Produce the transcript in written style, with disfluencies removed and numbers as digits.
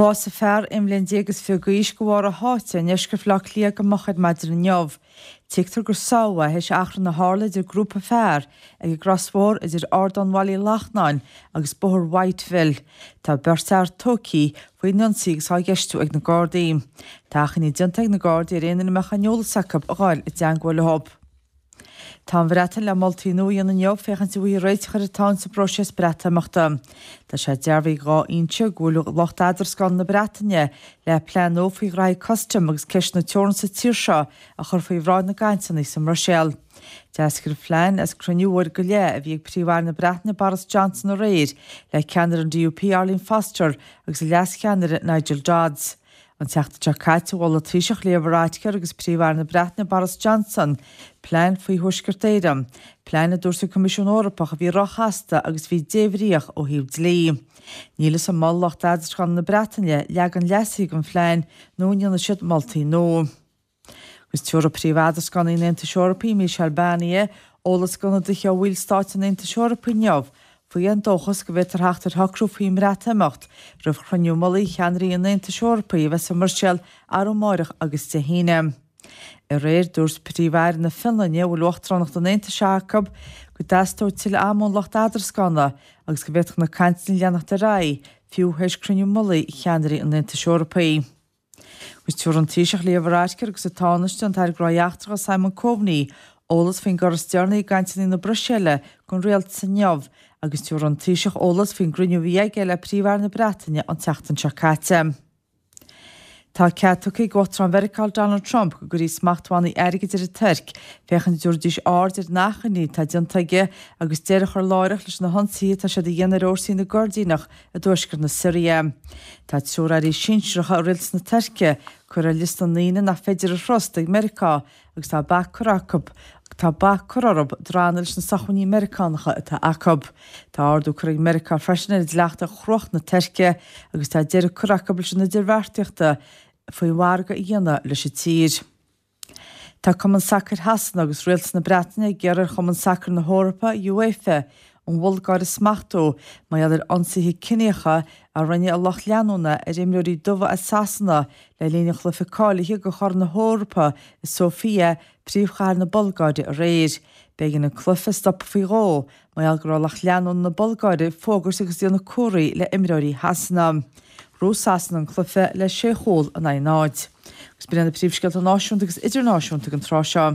Bhásaigh fear 21 mbliain d'aois de bharr a sháite i ndeisceart Bhaile Átha Cliath go moch ar maidin inniu. Tuigtear gur sádh é théis achrann a tharla idir grúpa fear ag an gcrosbhóthar idir Ardán Bhaile Uí Lachnáin agus Bóthar Whiteville. Tá beirt fhear tógtha faoin ionsaí agus á gceistiú ag na Gardaí. Tá achainí déanta ag na Gardaí ar aon duine a mbeadh aon eolas acu a ghabháil i dteangmháil leo. Tá an Bhreatain le moltaí nua a dhéanamh inniu féachaint an bhfaighfí réiteach ar an teann sa bpróiseas Breatimeachta. Tá sé dearbhaithe ag 2 fhoinse go bhfuil lucht eadrascála na Breataine le plean nua faoi ghraithí custaim agus ceisteanna teorann sa tír seo a chur faoi bhráid na gcainteanna sa mBruiséil. D'eascair an phlean as cruinniú uair go leith a bhí ag Príomh-Aire na Breataine Boris Johnson aréir le ceannaire an DUP Arlene Foster agus a leas-cheannaire Nigel Dodds. An tseachtain seo caite, mhol an Taoiseach Leo Varadkar agus Príomh-Aire na Breataine Boris Johnson plean faoi Thuaisceart Éireann, plean a dúirt an Coimisiún Eorpach a bhí róchasta agus a bhí débhríoch ó thaobh dlí. Níl fhios an molfaidh lucht eadrascála na Breataine leagan leasaithe den phlean nó an ndéanfaidh siad moltaí nua. Agus tabharfaidh Príomh-Eadrascánaí an Aontais Eorpaigh, Michel Barnier, eolas d'ionadaithe ó bhallstáit an Aontais Eorpaigh inniu faoi an dóchas go bhféadfar theacht ar shocrú faoin mBreatimeacht roimh chruinniú mullaigh cheannairí an Aontais Eorpaigh a bheas i mBruiséil arú amáireach agus Dé hAoine. Aréir, dúirt Príomh-Aire na Fionlainne, a bhfuil uachtaránacht an Aontais acu, go dteastódh tuilleadh ama ón lucht eadrascána agus go bhféadfadh na cainteanna leanacht ar aghaidh fiú théis cruinniú mullaigh cheannairí an Aontais Eorpaigh. Agus tabharfaidh an Taoiseach Leo Varadkar agus an Tánaiste, an tAire Gnóthaí Eachtracha Simon Coveney eolas faoin gcor is deireanaí i gcainteanna na Bruiséile don rialtas inniu agus tabharfaidh an Taoiseach eolas faoin gcruinniú a bhí aige le Príomh-Aire na Breataine an tseachtain seo caite. Tá cead tugtha ag Uachtarán Mheiriceá Donald Trump go gcuirfí smachtbhannaí airgid ar an Tuirc féachaint an dtabharfaidís aird ar an achainí atá déanta aige agus deireadh a chur láithreach leis na hionsaithe atá siad a dhéanamh ar fhórsaí na gCoirdíneach i dtuaisceart na Siria. Tá triúr airí sinsearacha i rialtas na Tuirce curtha ar liosta na ndaoine nach féidir a thrust ag Meiriceá agus tá bac curtha acu tá bac curtha orthu drannadh leis na socmhainní Meiriceánacha atá acu. Tá ardú curtha ag Meiriceá freisin ar dhleachta chruach na Tuirce agus tá deireadh curtha acu leis an idirbheartaíochta faoi mhargadh a dhéanamh leis an tír. Tá Cumann Sacair Shasana agus Rialtas na Breataine ag iarraidh ar Chumann Sacair na hEorpa, UEFA, an Bhulgáir a smachtú mar gheall ar ionsaithe ciníocha a rinne a lucht leanúna ar imreoirí dubha as Sasana le linn an chluiche cáilithe do Chorn na hEorpa i Sofia, príomhchathair na Bulgáire aréir. B'éigean an cluiche a stopadh faoi dhó Mar gheall go raibh lucht leanúna na Bulgáire ag fógairt agus ag déanamh comharthaí le imreoirí Shasana. Ghnóthaigh Sasana an cluiche le sé chúl in aghaidh náid. Agus b'in iad na príomhscéalta náisiúnta agus idirnáisiúnta ag an tráth seo.